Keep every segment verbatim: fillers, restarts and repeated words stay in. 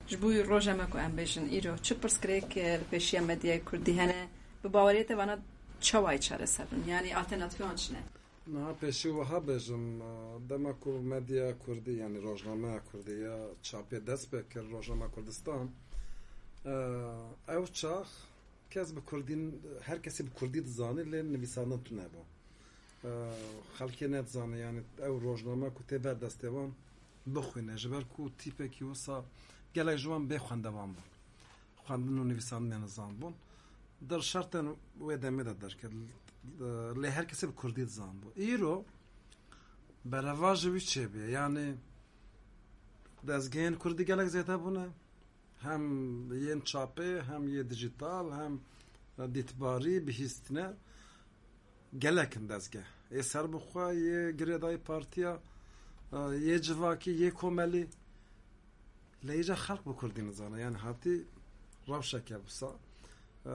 Ji bo roja me ku em bêjin îro çi pirsgirêk, e, li pêşiya medyaya kurdî hene? Bi baweriyê te vana çawa yê çareser bin? Yanî alternatîfê wan çi ne? Niha pêşî wiha bêjim, e, dema ku medyaya kurdî, yanî rojnameya kurdî ya çapê dest pê kir, Rojnama Kurdistan, e, ew çax kes bi kurdî, her kesî bi kurdî dizanî, lê nivîsandin tune bû. E, xelkê nedizane, yanî ew rojname ku tê ber destê wan bixwîne, ji ber ku tîpekî wisa gelek ji wan bê xwendevan bûn. Xwendin û nivîsandinê nizanbûn. Di şertên wê demê de derket. Lê her kesê bi kurdî dizanbû. Îro bereva ji wî çêbûye. Yanî dezgehên kurdî gelek zêde bûne. Hem yên çapê, hem yê dijital, hem dîtbarî, bihîstine. Gelek in dezgeh. Yê serbixwe, yê girêdayî partiya, yê civakî, yê komelî. Lê îca xelk bi kurdî nizane. Yanî hatî rewşeke wisa, e,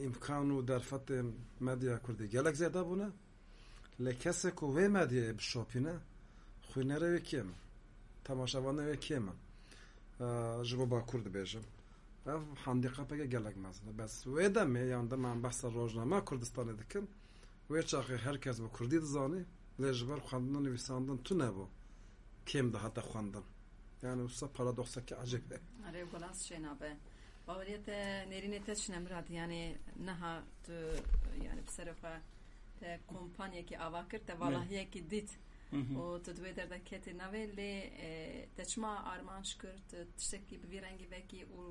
îmkan û derfetên medyaya kurdî gelek zêde bûne. Lê kesê ku wê medyayê bişopîne, xwînerê wê kêm in. Temaşevanê wê kêm in. E, ji bo Bakur dibêjim. Ev handîkapeke gelek mezin e. Bes wê demê, yan dema em behsa rojnama Kurdistanê dikin, wê çaxê her kes bi kurdî dizanî, lê ji ber xwendin û nivîsandin tune bû. Kêm dihate xwendin. Yani wisa paradokseke ecêb e. Erê, balans çênabe. Baweriyê te, nêrînê te çi ne Mirad? Yani niha tu, yani bi serê xwe te kompanyekî ava kir, te valahiyekî dît û tu di wê derde ketî navê, lê, e, te çima armanc kir, tu tiştekî bi vî rengî vekî û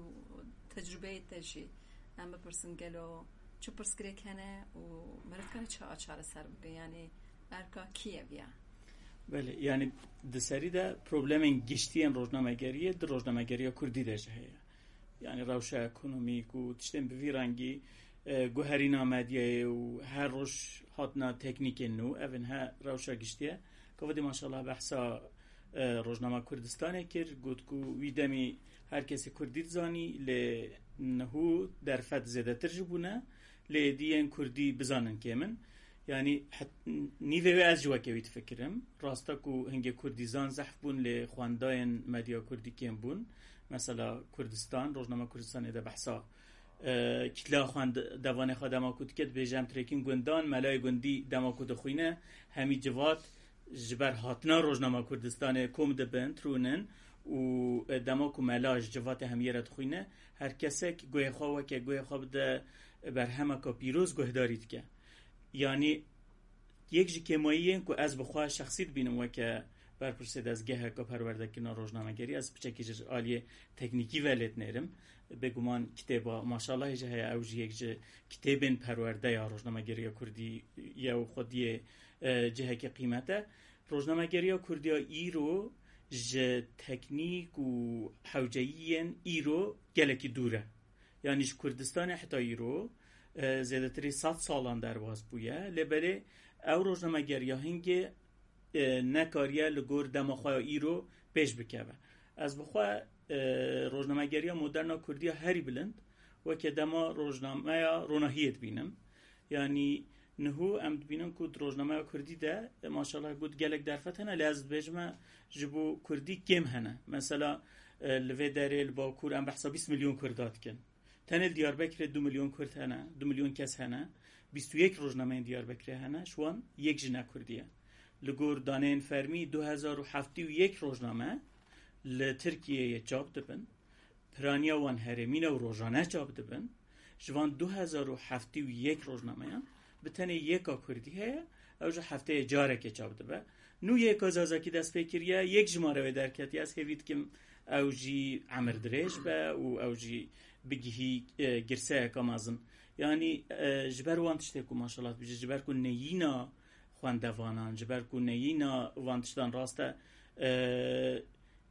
tecrubeyê te jî em bipirsin gelo çi pirsgirêk hene û meriv kare çi çareser bikin? Yani erka kî ye viya? Belê, yani di serî de problemên giştî yên rojnamegeriyê di rojnamegeriya kurdî de jî heye. Yani rewşa ekonomîk û tiştên bi vî rengî, e, guherîna medyayê û her roj hatina teknîkên nû, ev in he rewşa giştî ye. Ka vedî maşallah behsa, e, Rojnama Kurdistanê kir, got ku wî demî her kesê kurdî dizanî, lê niho derfet zêdetir jî bûne, lê êdî yên kurdî bizanin kêm in. Yani het-, nîvê wê ez jî weke wî difikirim. Rast e ku hingê kurdîzan zehf bûn, lê xwendayên medya kurdî kêm bûn. Mesela Kurdistan, Rojnama Kurdistanê de behsa, e, kitleya xwendevanê xwe dema ku dike, dibêje em tirêkîn gundan, melayê gundî dema ku dixwîne, hemî civat ji ber hatina Rojnama Kurdistanê kom dibin, tirûnin û, e, dema ku mela ji civatê hemiyê re dixwîne, her kesek guhê xwe weke guhê xwe bide berhemeka pîroz guhdarî dike. Yanî yek ji kêmayiyên ku ez bi xwe şexsî dibînim weke berpirsê dezgeheka perwerdekirina rojnamegerî, ez piçekî ji aliyê teknîkî ve lê dinêrim. Bêguman kitêba Maşalahê jî heye, ew jî yek ji kitêbên perwerde ya rojnamegeriya kurdî ye û xwediyê, e, cihekî qîmet e. Rojnamegeriya kurdî ya îro ji teknîk û hewceyiyên îro gelekî dûr e. Yanî ji Kurdistanê heta îro, e, zêdetirî sed salan derbas bûye, lê belê ew rojnameger ya hingê, e, nekariye li gor dema xwe ya îro pêş bikeve. Ez bi xwe, e, rojnamegeriya moderna kurdî ya herî bilind weke dema rojnameya Ronahiyê dibînim. Yanî niho em dibînin ku di rojnameya kurdî de, e, maşallah got gelek derfet hene, lê ez dibêjime ji bo kurdî kêm hene. Mesela, e, li vê derê li Bakur em behsa bîst milyon kurda dikin. Tenê li Diyarbekirê du milyon kurd hene, du milyon kes hene. Bîst û yek rojnameyên Diyarbekirê hene, ji wan yek jî ne kurdî ye. Li gor daneyên fermî du hezar û heftê û yek rojname li Tirkiyeyê çap dibin. Piraniya wan herêmî ne û rojane çap dibin. Ji van du hezar û heftê û yek rojnameyan bi tenê yeka kurdî heye, ew jî hefteyê careke çap dibe. Nû yeka zazakî dest pê kiriye, yek jimare wê derketiye. Ez hêvî dikim ew jî emir dirêj be û ew jî bigihî, e, girseyeka mezin. Yanî, e, ji ber wan tiştê ku maşallah dibêje, ji ber ku neyîna xwendevanan, ji ber ku neyîna van tiştan rast e, e,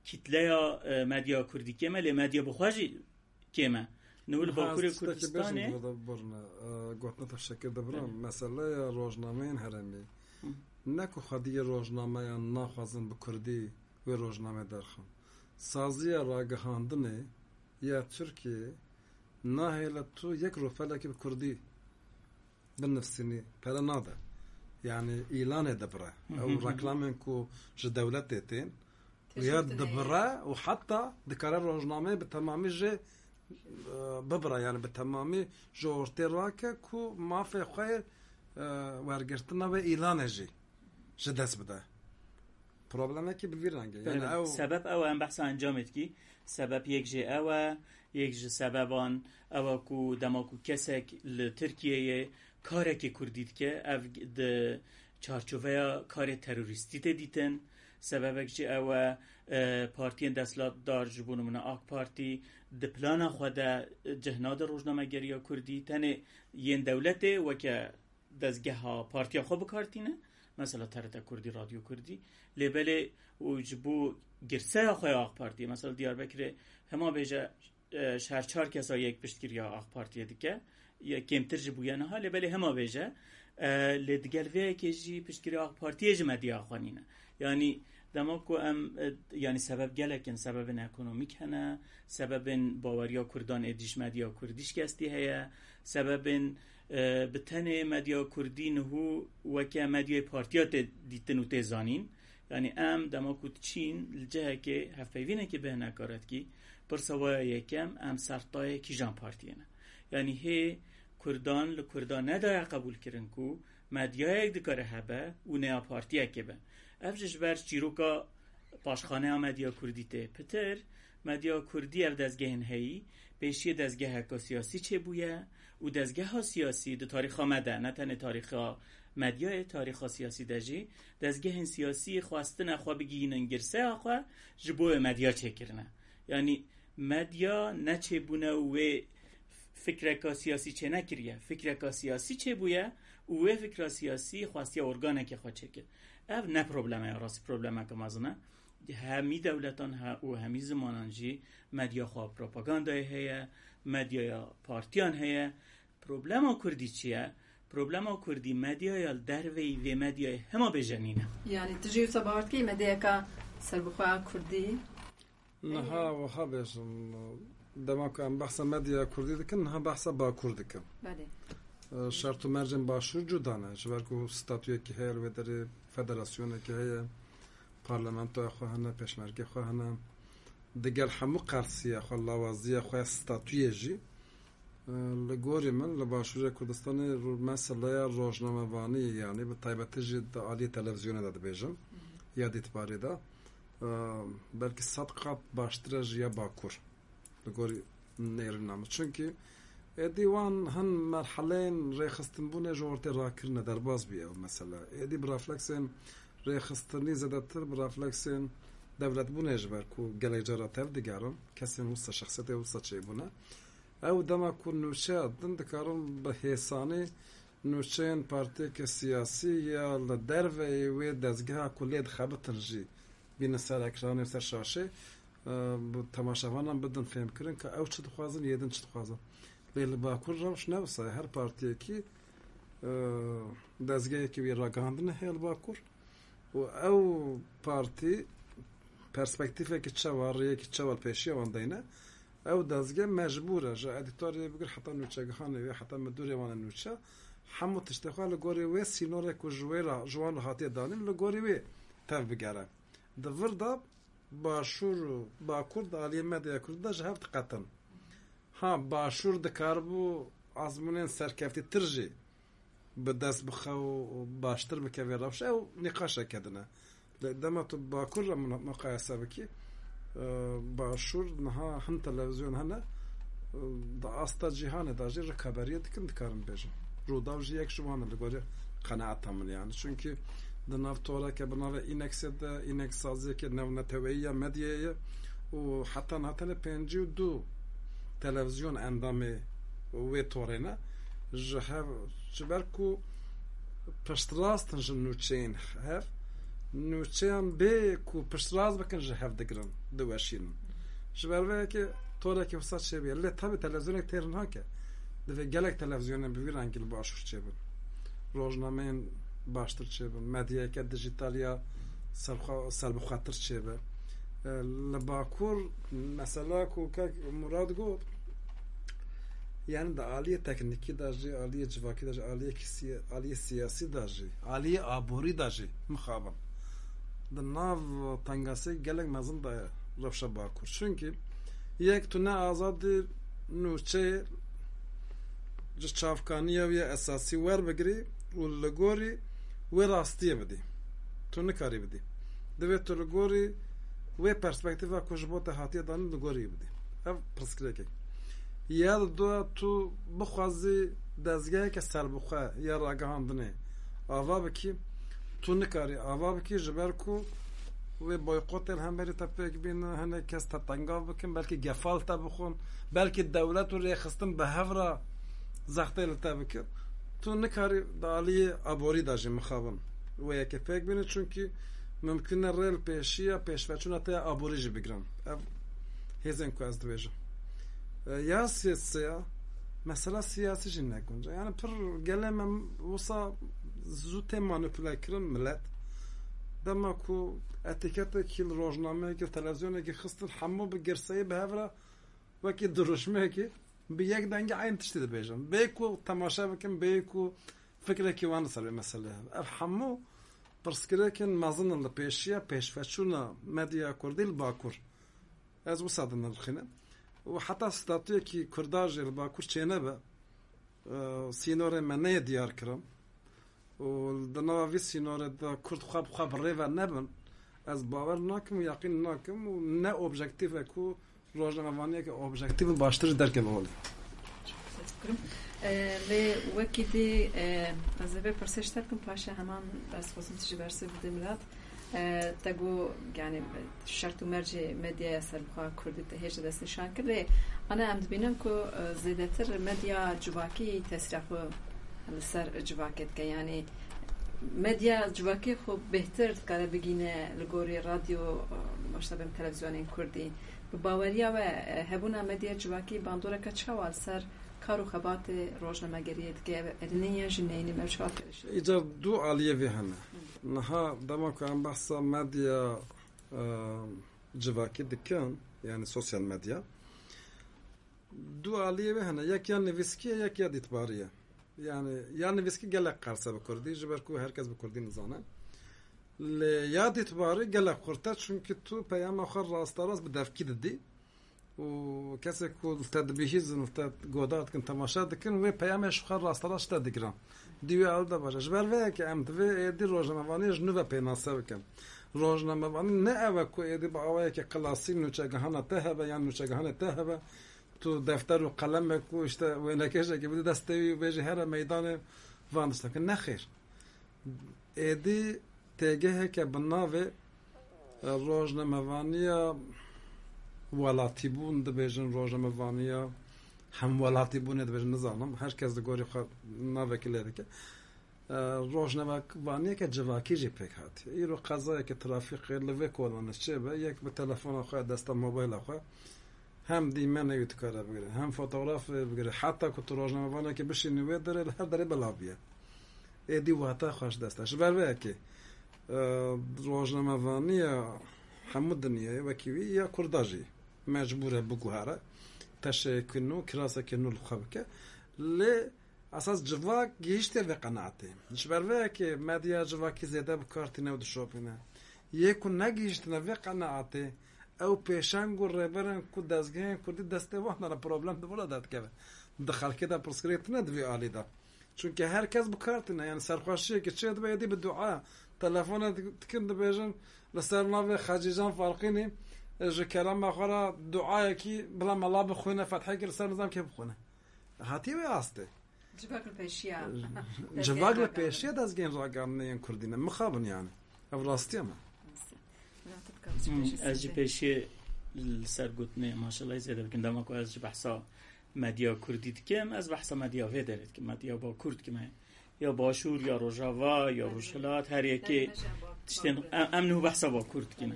kitleya, e, medya kurdî kêm e, lê medya bi xwe jî kêm e. Niha li Bakurê Kurdistanê. Gotina te şekir dibira. Meseleya rojnameyên herêmî. Hı. Ne ku xwediyê rojnameyan naxwazin bi kurdî wê rojnamê derxin. Saziya ragihandinê ya Tirkiyê nahêle tu yek rûpelekî bi kurdî binivsînî, pere nade. Yani îlanê dibire. Hı hı, hı hı. Ew reklamên ku ji dewletê tên, Ya dibire û heta dikare rojnameyê bi temamî jê, e, bibire, yani bi temamî ji ortê rake ku mafê xwe, e, wergirtina wê îlanê jî ji dest bide. Problemekî bi vî rengê. Yani Belê. ew Sebep ew e, em behsa encamê dikî. Sebep yek jê ew e, yek ji sebeban ew e ku dema ku kesek li Tirkiyeyê karekê kurdî dike, ev di çarçoveya karê terorîstî tê dîtin. Sebebek jî ew e, e, partiyên desthilatdar, ji bo nimûne AK Partî, di plana xwe de cih nade rojnamegeriya kurdî. Tenê yên dewletê weke dezgeha partiya xwe bi kar tîne. Mesela T R T Kurdî, Radyo Kurdî. Lê belê û ji bo girseya xwe ya AK Partiyê, mesela Diyarbekirê hema bêje, e, ji her çar kesa yek piştgiriya AK Partiyê dike. Ya kêmtir ji bûye niha, lê belê hema bêje, e, lê digel vê yekê jî piştgiriya AK Partiyê ji medya xwe nîne. Yanî dema ku em, e, yanî sebeb gelek in, sebebên ekonomîk hene, sebebên baweriya Kurdan êdî ji medya Kurdî şikestî heye, sebebên, e, bi tenê medya Kurdî niho weke medyayê partiya tê dîtin û tê zanîn. Yanî em dema ku diçîn li cihekê hevpeyvînekê bêhna kar dikî, pirsa we ya yekem, em ser tayê kîjan partiyê ne? Yanî hê Kurdan li Kurda nedaye qebûlkirin ku medyayek dikare hebe û ne ya partiyekê be. Ev jî ji ber çîroka paşxaneya medya kurdî tê pitir. Medya kurdî ev dezgehên heyî pêşiyê dezgeheka siyasî çêbûye û dezgeha siyasî di tarîxa me de, ne tenê tarîxa medyayê, tarîxa siyasî de jî dezgehên siyasî xwestine xwe bigihînin girseya xwe, ji bo wê medya çêkirine. Yanî medya neçêbûne û wê fikreka siyasî çênekiriye. Fikreka siyasî çêbûye û wê fikra siyasî xwestiye organekê xwe çêkir. Ev ne probleme ya rastî, problemeke mezin e. Hemî dewletan he û hemî zimanan jî medya xwe propagandayê heye, medyaya partiyan heye. Problema kurdî çi ye? Problema kurdî medyaya li derveyî vê medyayê hema bêje nîne. Yanî tu jî wisa bawer dikî medyayeka serbixwe a kurdî? Niha wiha bêjim, dema ku em behsa medyaya kurdî dikin, niha behsa Bakur dikin. Belê. E, şert û mercên Başûr cuda ne. Ji ber ku statuyekî heye, li wê derê federasyonekî heye, parlamentoya xwe hene, pêşmergê xwe hene. Digel hemû qersiya xwe, lawaziya xwe ya statuyê jî, e, li gorî min, li Başûrê Kurdistanê ro-, meseleya rojnamevanî, yanî bi taybetî jî di aliyê televîzyonê de dibêjim, ya dîtbarê de, e, belkî sed qat baştir e ji ya Bakur. Li gorî nêrîna min. Çunkî êdî wan hin merheleyên rêxistinbûnê ji ortê rakirine, derbas bûye ew mesele. Êdî bi refleksên rêxistinî zêdetir, bi refleksên dewletbûnê ji ber ku gelek cara tev digerin, kesên wisa, şexsiyetê wisa çêbûne. Ew dema ku nûçeya din dikarin bi hêsanî nûçeyên partiyeke siyasî ya li derveyê wê dezgeha ku lê dixebitin jî bînin ser ekranê, ser şaşê, e, bi temaşevanan bidin fêhmkirin ka ew çi dixwazin, yê din çi dixwazin. Lê li Bakur rewş ne wisa ye. Her partiyekî, e, dezgehekî wî ragihandinê heye li Bakur û ew partî perspektîfekî çawa, rêyekî çawa li pêşiya wan deyne, ew dezgeh mecbûr e ji edîtorê bigir heta nûçegihanê wê, heta midûrê wan ê nûçe, hemû tiştê xwe li gorî wê sînorê ku ji wê re, ji wan re hatiye danîn, li gorî wê tev bigere. Di vir de Başûr û Bakur di aliyê medyaya kurdî de ji hev diqetin. Ha, Başûr dikaribû ezmûnên serkeftîtir jî bi dest bixe û baştir bike vê rewşe, ew nîqaşeke din e. Lê dema tu Bakur re muna-, muqayese bikî, e, Başûr niha hin televîzyon hene, e, di asta cîhanê de jî rikaberiyê dikin, dikarin bêjin. Rûdaw jî yek ji wan e, li gorî qenaeta min yani. Çunkî di nav toreke bi navê Înexê de, Înex saziyeke navneteweyî ya medyayê ye û heta niha tenê pêncî û du televîzyon endamê wê torê ne. Ji hev, ji ber ku piştrast in ji nûçeyên hev, nûçeyan bê ku piştrast bikin ji hev digirin, diweşînin. Ji ber vê yekê torekê wisa çêbûye. Lê tabi televîzyonek têr nake. Divê gelek televîzyonên bi vî rengî li Başûr çêbin. Rojnameyên baştir çêbin. Medyayeke dijîtal ya serxwe-, serbixwetir çêbe. E, li Bakur mesela ku kek Murad got, yani di aliyê teknîkî de jî, aliyê civakî de jî, aliyê kisiye-, aliyê siyasî de jî, aliyê aborî de jî mixabin. di nav tengasiyek gelek mezin de rewşa Bakur. Çunkî yek tu ne azadî nûçeyê ji çavkaniya wî ya esasî werbigirî û li gorî wê rastiyê bidî. Tu nikarî bidî. Divê tu li gorî wê perspektîfa ku ji bo te hatiye danîn li gorî bidî. Ev pirsgirêkek. Ya di dua tu bixwazî dezgeheke serbixwe ya ragihandinê ava bikî, tu nikarî ava bikî, ji ber ku wê boykotê li hemberî te pêk bînin, hinek kes te tengav bikin, belkî gefa li te bixwin, belkî dewlet û rêxistin bi hev re zextê li te bikin. Tu nikarî di aliyê aborî de jî mixabin wê yekê pêk bînin, çunkî mimkun e rê li pêşiya pêşveçûna te ya aborî jî bigirin. Ev hêzên ku ez dibêjim. E, ya siyasiya, mesela siyasî jî ne gunc e. Yani pir gelê me wisa zû tê manipule kirin milet. Dema ku etîketekî li rojnameyekî, li televizyonekî xistin, hemû bi girseyî bi hev re wekî dirûşmeyekî bi yek dengî eyn tiştî dibêjin. Bê ku temaşe bikin, bê ku fikrekî wan li ser vê meselê hebe. Ev hemû pirsgirêkên mezin in li pêşiya pêşveçûna medya kurdî li Bakur. Ez wisa dinirxînim. Û heta statuyekî kurda jî li Bakur çênebe, e, sînorê me neyê diyar kirin. Û di nava vî sînorê de kurd xwe bi xwe bi rê ve nebin. Ez bawer nakim û yaqîn nakim û ne objektîf e ku rojnamevaniyeke objektîf û baştir jî derkeve holê. Teşekkür ederim. E, lê wekî dî, e, ez ê vê pirsê ji te bikim, paşê heman ez xwazim tu jî bersê bidî milat. E, te got, yani, şert û mercê medyaya serbixwe kurdî te hêj de destnîşan kir. Lê ana em dibînin ku, e, zêdetir medya civakî tesîra xwe li ser civakê dike. Yani, medya civakî xwe bêhtir dikare bigîne li gorî radyo, e, başta bêm televizyonên kurdî. Bi baweriya we, e, hebûna medya civakî bandoreke çawa li ser kar û xebatê rojnamegeriyê dike? Erî neyê yan jî neyê, me çawa kirişt? Îcar du aliyê vê hene. Niha dema ku em behsa medya, e, civakî dikin, yani sosyal medya, du aliyê vê hene. Yek ya nivîskî ye, yek ya dîtbarî ye. Yani ya nivîskî gelek qers e bi kurdî, ji ber ku her kes bi kurdî nizane. Lê ya dîtbarî gelek xurt e, çunkî tu peyama xwe rasterast bi devkî didî û kesê ku li te dibihîzin, li te godar dikin, temaşe dikin, wê peyamê ji xwe rasterast ji te digirin. Dî wê ew de baş e. Ji ber vê yekê em divê êdî rojnamevaniyê ji nû ve pênase bikin. Rojnamevanî ne ew e ku êdî bi awayeke klasîk nûçegihana te hebe yan nûçegihanê te hebe, tu defter û qelemek û işte wênekêşekê bidî destê wî û bêjî here meydanê van tiştan bikin. Nexêr. Êdî têgeheke bi navê, e, rojnamevaniya welatîbûn dibêjin, rojnamevaniya hemwelatîbûnê dibêjin, nizanim. Her kes di gorî xwe navekî lê dike. E, rojnamevaniyeke civakî jî pêk hatiye. Îro qezayeke trafîkê li vê kolan çêbe, yek bi telefona xwe, desta mobayla xwe, hem dîmenê wî dikare bigire, hem fotografê bigire. Heta ku tu rojnamevanekê bişînî wê derê, li her derê belav bûye. Êdî wate xwe ji dest e. Ji ber vê yekê, e, rojnamevaniya hemû dinyayê wekî wî ya kurda jî mecbûr e biguhere. Teşeyekî nû, kirasekî nû li xwe bike. Lê esas civak gihîştiye vê qenaetê. Ji ber vê yekê medya civakî zêde bi kar tîne û dişopîne. Yê ku negihîştine vê qenaetê, ew pêşeng û rêberên ku dezgehên kurdî destê wan de ne problem di vira derdikeve. Di xelkê de pirsgirêk tune di vê alî de. Çunke her kes bi kar tîne, yani serxweşiyekê çê dibe, êdî bi dua, telefone dik-, dikin dibêjin, li ser navê Xecîcan Farqînî, e, ji kerema xwe re duayekî bila mela bixwîne, fethekî li ser nizam kê bixwîne. Hatiye wê astê. Civak li pêşiya. Civak li pêşiya dezgehên ragihandinê yên kurdî ne. Mixabin yani. Ev rastiya me. Rastiya. Milat dikare çi Hmm, pêşî ez jî sê pêşiyê li ser gotinê maşallah zêde bikim. Dema ku ez ji behsa medya kurdî dikim, ez behsa medya vê derê dikim. Medya bakur dikim. Ya başûr, ya rojava, ya rojhilat, her yekê tiştên em, em niho behsa bakur dikin.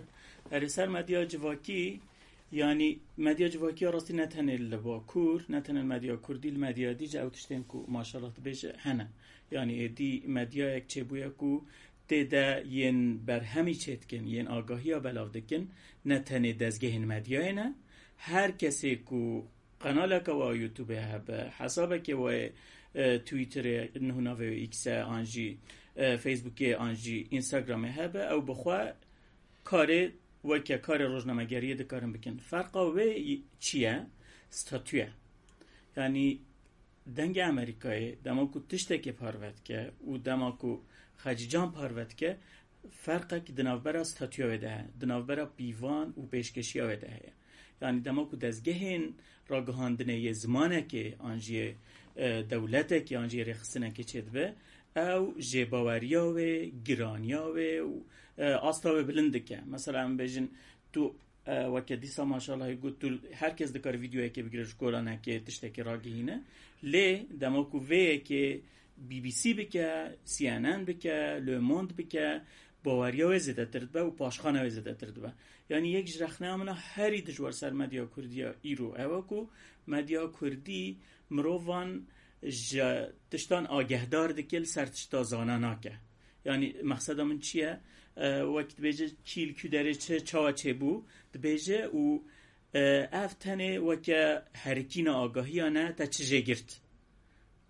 Erê ser medya civakî, yanî medya civakî ya rastî ne tenê li bakur, ne tenê medya kurdî, li medya dî jî ew tiştên ku maşallah dibêje hene. Yanî êdî medyayek çêbûye ku tê de yên berhemî çêdikin, yên agahiya belav dikin, ne tenê dezgehên medyayê ne, her kesê ku qenaleke wa YouTube hebe, hesabeke wa, e, Twitterê, niho navê wê X e, an jî, e, Facebookê, an jî Instagramê hebe, ew bi xwe Karê weke karê rojnamegeriyê dikarin bikin. Ferqa wê çi ye? Statû ye. Yanî dengê Amerîkayê dema ku tiştekê parve dike û dema ku Xecîcan parve dike, ferqek di navbera statûya wê de heye, di navbera pîvan û pêşkeşiya wê de heye. Yanî dema ku dezgehên ragihandinê yê zimanekê an jî yê, e, dewletekê an jî yê rêxistinekê çêdibe, ew jêbaweriya wê, giraniya wê û, e, asta wê bilind dike. Mesela em bêjin tu, e, weke dîsa maşallah got tu her kes dikare vîdeoyekê bigire ji kolanekê tiştekê ragihîne. Lê dema ku vê yekê B B C bike, C N N bike, Le Monde bike, baweriya wê zêdetir dibe û paşxana wê zêdetir dibe. Yanî yek ji rexneya min a herî dijwar ser medya kurdî ya îro ew e ku medya kurdî mirovan ji tiştan agehdar dike, li ser tişta zana nake. Yanî mexseda min çi ye? E, wek dibêje kî li kî derê çi çawa çêbû, dibêje û, e, ev tenê weke herikîna agahiya ne te çi jê girt.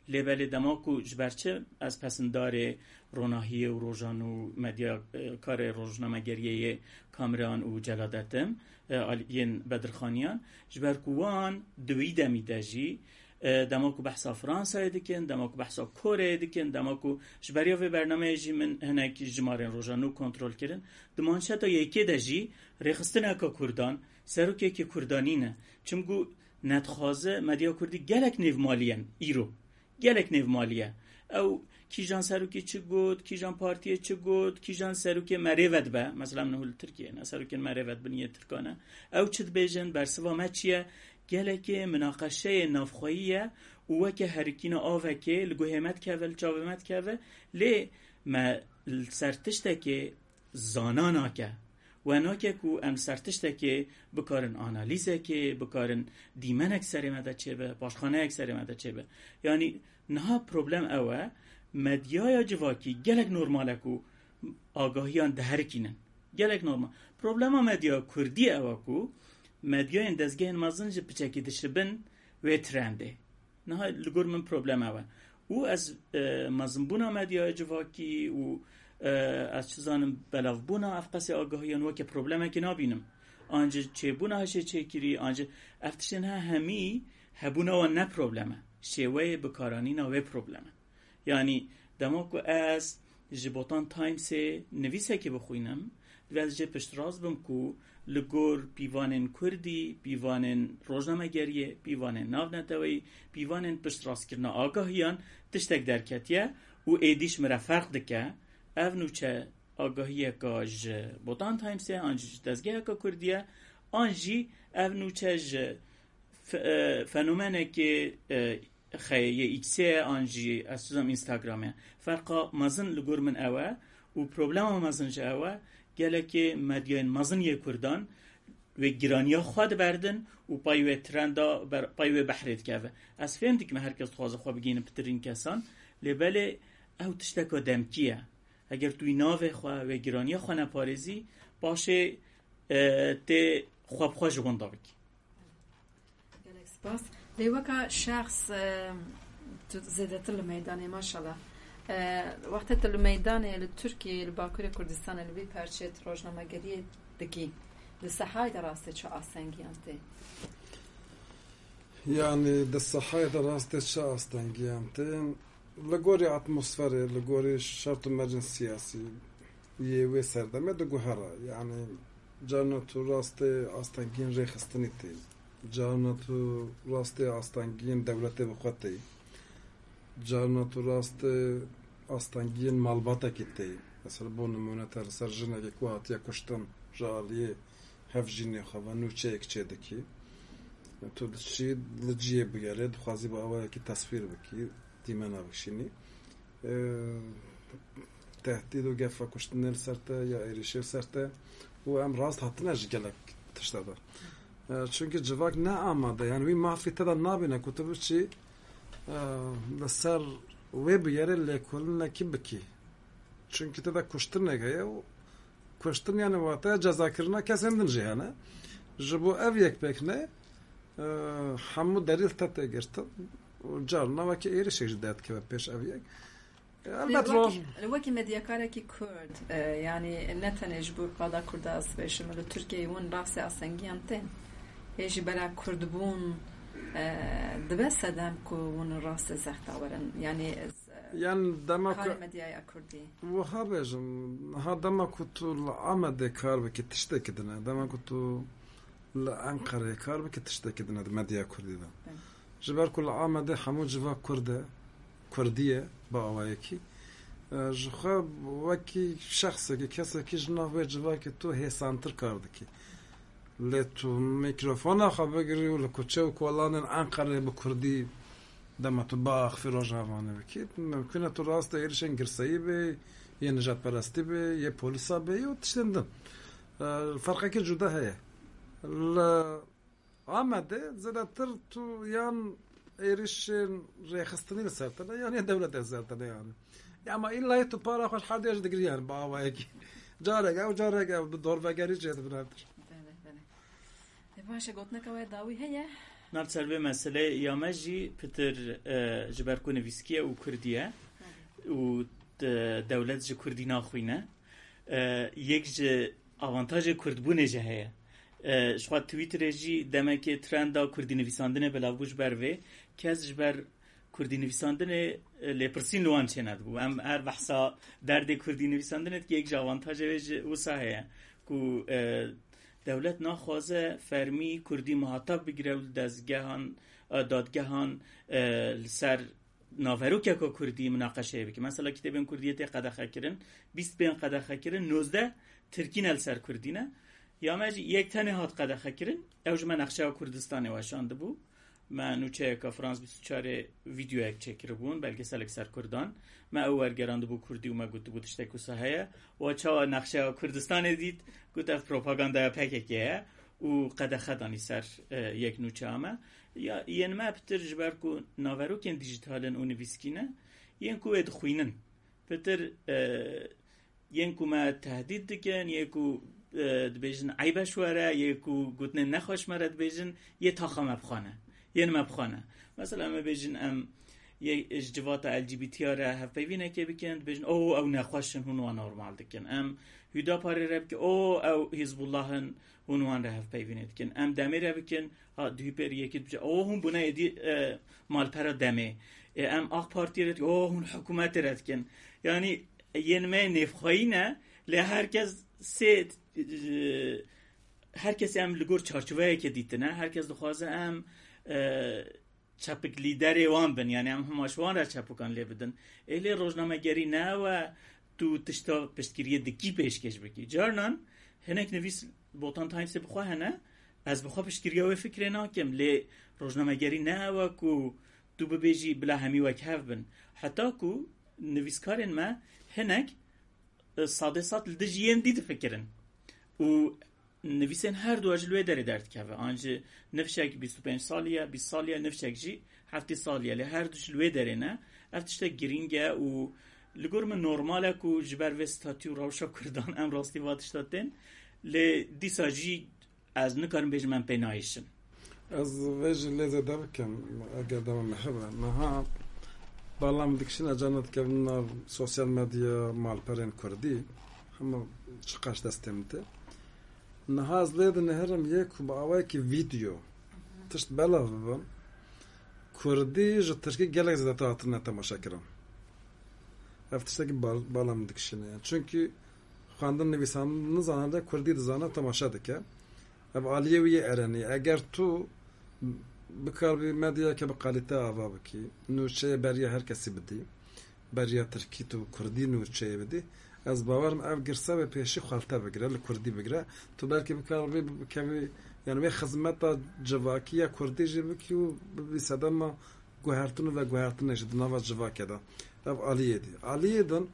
Lê belê dema ku ji ber çi ez pesindarê Ronahiyê û Rojan û medya, e, karê rojnamegeriyê yê Kamran û Celadet im, e, al-, yên Bedirxaniyan, ji ber ku wan di wî demî de jî, e, dema ku behsa Fransayê dikin, dema ku behsa Koreyê dikin, dema ku ji beriya vê bernameyê jî min hinek jimarên Rojan nû kontrol kirin, di manşeta yekê de jî rêxistineka Kurdan, serokekî Kurdanî ne. Çimku nedixwaze medya Kurdî gelek nêvmalî ye îro. Gelek nêvmalî ye. Ew kîjan serokê çi got, kîjan partiyê çi got, kîjan serokê merê vedibe. Mesela min hû li Tirkiyeyê ne, serokên merê vedibin yê Tirkan e. Ew çi dibêjin, bersiva me çi ye? Gelekê minaqeşeyê navxweyî ye û weke herikîna avekê li guhê me dikeve, li çavê me dikeve. Lê me li ser tiştekê zana nake. We nake ku em ser tiştekê bikarin analîzekê, bikarin dîmenek serê me de çêbe, paşxaneyek serê me de çêbe. Yanî niha problem ew e, medyaya civakî gelek normal e ku agahiyan diherikînin. Gelek normal. Problema medya kurdî ew e ku medyayên dezgehên mezin ji piçekî dişibin wê trendê. Niha li gor min problem ew e. Û ez, e, mezinbûna medyaya civakî û, e, ez çi zanim belavbûna ev qesê agahiyan weke problemekê nabînim. An jî çêbûna hişê çêkirî, an jî ev tiştên he hemî hebûna wan ne problem e. Şêweyê bikaranîna wê problem e. Yanî dema ku ez ji Botan Timesê nivîsekê bixwînim, divê ez jê piştrast bim ku li gor pîvanên kurdî, pîvanên rojnamegeriyê, pîvanên navneteweyî, pîvanên piştrastkirina agahiyan tiştek derketiye û êdî ji min re ferq dike. Ev nûçe agahiyeka ji Botan Timesê an jî ji dezgeheka kurdî ye, an jî ev nûçe ji fe-, e, fenomenekê, e, xeyê yê X-ê ye an jî ez dizam Instagram e. Ferqa mezin li gor min ew e û problema mezin jî ew e, gelekê medyayên mezin yê Kurdan wê giraniya xwe diberdin û pay wê trenda ber, pay wê behrê dikeve. Ez fêm dikim her kes dixwaze xwe bigihîne pitirîn kesan, lê belê ew tişteka demkî ye. Eger tu wî navê xwe, wê giraniya xwe neparêzî, paşê, e, tê xwe bi xwe ji winda bikî. Gelek spas. Lê weka şexs, e, tu zêdetir li meydanê, maşallah. E, wextê tu li meydanê, li Tirkiyeyê, li Bakurê Kurdistanê, li vî perçê tu rojnamegeriyê dikî, di sehayê de rastê çi astengiyan tê? Yanî di sehayê de rastê çi astengiyan tê? Li gorî atmosferê, li gorî şert û mercên siyasî yê wê serdemê diguhere. Yanî carna tu rastê astengiyên rêxistinî tê. Carna tu rastê astengiyên dewletê bi xwe tê. Carna tu rastê astengiyên malbatekî tê. Mesela bo nimûne te li ser jinekê ku hatiye kuştin ji aliyê hevjînê xwe ve nûçeyek çêdikî. Tu diçî li cihê bûyerê, dixwazî bi awayekî teswîr bikî, dîmena bikişînî. E, tehdîd û gefa kuştinê li ser te ya êrîşê li ser te û em rast hatine ji gelek tişta de. E, çunkî civak ne amade, yani wî mafî te de nabîne ku tu biçî, e, li ser wê bûyerê lêkolinekî bikî. Çunkî te de kuştinek heye û kuştin yani wateya cezakirina kesên din jî hene. Ji bo ev yek pêk ne, e, hemû delîl te tê girtin û carna wekî êrişek jî derdikeve pêş ev yek. Elbet roj. Wekî medyakarekî Kurd, e, yanî ne tenê ji bo qada Kurda ez bêjim, li Tirkiyeyê hûn rastê asengiyan tên. Hê ji bera Kurdbûn, e, dibe sedem ku hûn rastê zexta werin. Yanî ez, e, Yan dema ku karê medyaya Kurdî. Wiha bêjim, ha dema ku tu li Amedê kar bikî tiştekî din e, dema ku tu li Enqereyê kar bikî tiştekî din e di medya Kurdî de. Belê. Ji ber ku li Amedê hemû civa Kurd e, Kurdî ye bi awayekî. E, ji xwe wekî şexsekî, kesekî ji nav wê civakê tu hêsantir kar dikî. Lê tu mîkrofona xwe bigirî û li kuçe û kolanên Enqerê bi Kurdî dema tu biaxivî Rojava Nû bikî, mimkun e tu rastê êrişên girseyî bê, yê nijadperestî bê, yê polîsa bê, yê tiştên din. E, ferqekî cuda heye. Li Amedê zêdetir tu yan êrişên rêxistinî li ser te ne, yan ê dewletê li ser te ne yani. Ya ama îlla tu para xwe ji her duya jî digirî yani bi awayekî. Carek ew, carek ew, bi dorvegerî jê dibin her tişt. Belê, belê. E, baş e, gotineka we dawî heye? Nav ser vê meseleyê ya me jî pitir, e, ji ber ku nivîskî ye û kurdî ye û de-, dewlet ji kurdî naxwîne. E, yek ji avantajê kurdbûnê jî heye. E, ji xwe Twitterê jî demekê trenda kurdî nivîsandinê belav bû ji ber vê. Kes ji ber kurdî nivîsandinê, e, lêpirsîn li wan çênedibû. Em her behsa derdê kurdî nivîsandinê dike, yek ji avantajê wê jî wisa heye ku, e, dewlet naxwaze fermî kurdî muhatap bigire û li dezgehan, e, dadgehan, e, li ser naverokeka kurdî munaqeşeyê bike. Mesela kitêbên kurdiyê tê qedexekirin, bîst bên qedexekirin, nozdeh tirkî ne li ser kurdî ne. Ya me jî yek tenê hat qedexekirin, ew ji me nexşeya Kurdistanê weşandibû. Me nûçeyeka Frans bîst û çarê vîdeoyek çêkiribûn, belgeselek ser kurdan. Me ew wergerandibû kurdî û me gotibû tiştek wisa heye. Wa çawa nexşeya Kurdistanê dît, got ev propagandaya P K K ye û qedexe danî ser, e, yek nûçeya me. Ya, yên me pitir ji ber ku naverokên dîjîtal in û nivîskî ne, yên ku wê dixwînin. Pitir, e, yên ku me tehdît dikin, yê ku, e, dibêjin eybe ji we re, yê ku gotinên nexweş me re dibêjin, yê taxa me bi xwe ne. Yên me bi xwe ne. Mesela em ê bêjin em yê ji civata L G B T re hevpeyvînekê bikin, dibêjin, "O, ew nexweş in, hûn wan normal dikin." Em Hüdaparê re bikin, "O, ew Hizbullah in, hûn wan re hevpeyvînê dikin." Em demê re bikin, ha, D H P re yekî dibêje, "O, hûn bûne êdî, e, malpera demê." E, em AK Partiyê re dikin, "O, hûn hikûmetê re dikin." Yanî yên me nêvxweyî ne, lê her kes sê, e, her kesê em li gor çarçoveyekê dîtine, her kes dixwaze em, e, çepik lîderê wan bin, yanî em hema ji wan re çepikan lê bidin. Ê lê rojnamegerî ne ew e tu tişta piştgiriyê dikî pêşkêş bikî. Carinan hinek nivîs Botan Timesê bi xwe hene, ez bi xwe piştgiriya wê fikrê nakim, lê rojnamegerî ne ew e ku tu bibêjî bila hemî wek hev bin. Heta ku nivîskarên me hinek, e, sadê sad li dijî yên dî difikirin. Û nivîsên her du ji li wê derê derdikeve. An jî nifşek bîst û pênc salî ye, bîst salî ye, nifşek jî heftê salî ye. Lê her du ji li wê derê ne. Ev tiştek girîng e û li gor min normal e ku ji ber vê statû û rewşa Kurdan em rastî va tişta tên. Lê dîsa jî ez nikarim bêjim em pê nayêşin. Ez vê jî lê zêde bikim, eger dema me hebe. Niha bala min dikişîne, carna dikevin nav sosyal medya, malperên kurdî, hema çiqaş destê min tê. Niha ez lê dinihirim yê ku bi awayekî vîdeo tişt belav bibin, kurdî ji tirkî gelek zêdetir hatine temaşekirin. Ev tiştekî bal-, bala min dikişîne. Yani çünkü xwendin, nivîsandin nizane, lê kurdî dizane, temaşe dike. Ev aliyê wî yê erenî. Eger tu bikaribî medyayeke bi kalîte ava bikî, nûçeyê beriya her kesî bidî, beriya tirkî tu kurdî nûçeyê bidî, ez bawer im ev girse wê pêşî xwelte bigire, li kurdî bigire. Tu belkî bikaribî bikevî, yani wê xizmeta civakî ya kurdî jî bikî û bibî sedema guhertin û veguhertinê jî di nava civakê de. Ev aliyê dî. Aliyê din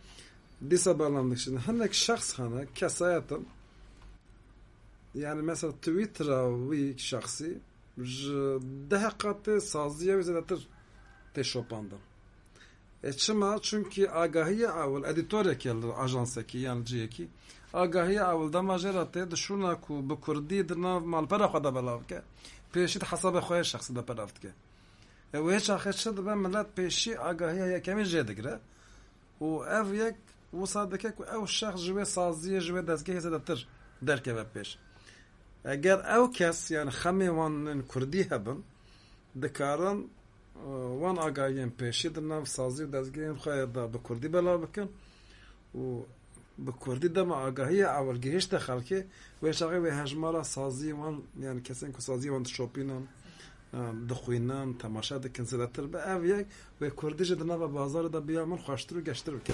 dîsa bala min dikişîne. Hinek şexs hene, kesayet in. Yani mesela Twittera wî şexsî ji deh qatê saziya wî zêdetir tê şopandin. E çima? Çünkü agahiya ewil, edîtorekî li ajansekî yan cihekî, agahiya ewil dema jê re tê, di şûna ku bi kurdî di nav malpera xwe de belav dike, pêşî di hesabê xwe yê şexsî de belav dike. E wê çaxê çi dibe, millet pêşî agahiya yekemîn jê digire. û ev yek wisa dike ku ew şexs ji wê saziyê, ji wê dezgehê zêdetir derkeve pêş. Eger ew kes, yani xemê wan ên kurdî hebin, dikarin, e, wan agahiyên pêşî di nav sazî û dezgehên xwe de bi kurdî belav bikin û bi kurdî dema agahiyê ewil gihişte xelkê, wê çaxê wê hejmara sazî wan, yani kesên ku sazî wan dişopînin, e, dixwînin, temaşe dikin zêdetir be. Ev yek wê kurdî jî di nava bazarê de biya min xweştir û geştir bike.